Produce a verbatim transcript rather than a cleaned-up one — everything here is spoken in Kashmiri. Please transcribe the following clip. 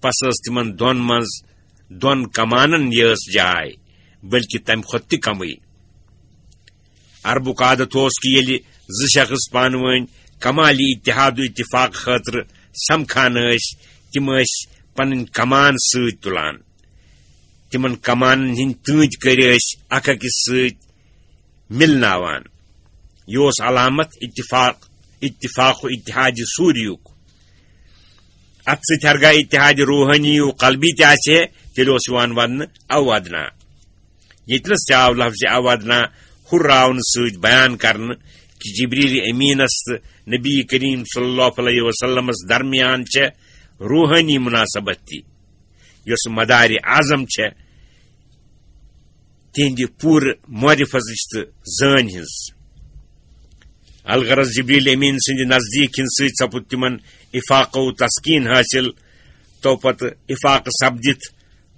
پس ٲس تِمن دۄن منٛز دۄن کمانن یٲژ جاے، بلکہِ تمہِ کھۄتہٕ تہِ کمٕے۔ عربُک عادت اوس کہِ ییٚلہِ زٕ شخص پانہٕ وٲنۍ کمالِ اتحاد و اتفاق خٲطرٕ سمکھان ٲسۍ، تِم ٲسۍ پنٕنۍ کمان سۭتۍ تُلان۔ تِمن کمانن ہٕنٛدۍ تۭتۍ کٔرۍ ٲسۍ اکھ أکِس سۭتۍ مِلناوان۔ یہِ اوس علامت اتفاق، اتفاق و اتحاد سوریُک۔ اتھ سۭتۍ ہرگاہ اتحاد روحانی و قلبی تہِ آسہِ ہے، تیٚلہِ اوس یِوان وننہٕ او ادنا۔ ییٚتہِ نَس تہِ آو لفظ او ادنا ہُراونہٕ سۭتۍ بیان کرنہٕ کہِ جبریل امینس تہٕ نبی کریم صلی اللہ علیہ وسلمس درمیان چھےٚ روحانی مناسبت تہِ، یۄس مدارِ اعظم چھےٚ تِہنٛدِ پوٗرٕ معرفتٕچ تہٕ زٲنۍ ہٕنٛز۔ الغرض، جبریل امین سٕنٛدِ نزدیٖک یِنہٕ سۭتۍ سپُد تِمن افاقہ و تسکین حٲصِل۔ تو پتہٕ افاقہ سپدِتھ